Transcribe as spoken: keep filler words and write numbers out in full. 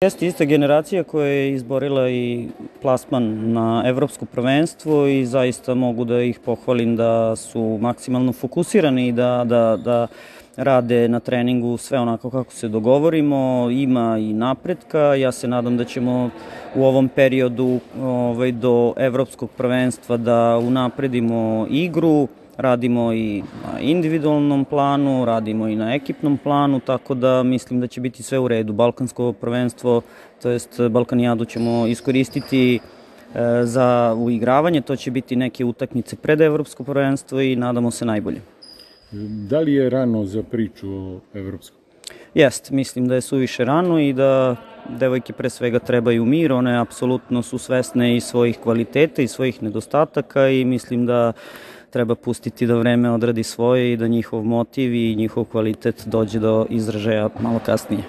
Jeste ista generacija koja je izborila i plasman na evropsko prvenstvo i zaista mogu da ih pohvalim da su maksimalno fokusirani i da, da, da rade na treningu sve onako kako se dogovorimo, ima i napretka. Ja se nadam da ćemo u ovom periodu ovaj, do evropskog prvenstva da unapredimo igru, radimo i na individualnom planu, radimo i na ekipnom planu, tako da mislim da će biti sve u redu. Balkansko prvenstvo, to jest Balkanijadu ćemo iskoristiti e, za uigravanje, to će biti neke utakmice pred evropsko prvenstvo i nadamo se najbolje. Da li je rano za priču o evropskom? Jest, mislim da je suviše rano i da devojke pre svega trebaju mir, one apsolutno su svesne i svojih kvaliteta i svojih nedostataka i mislim da treba pustiti da vreme odradi svoje i da njihov motiv i njihov kvalitet dođe do izražaja malo kasnije.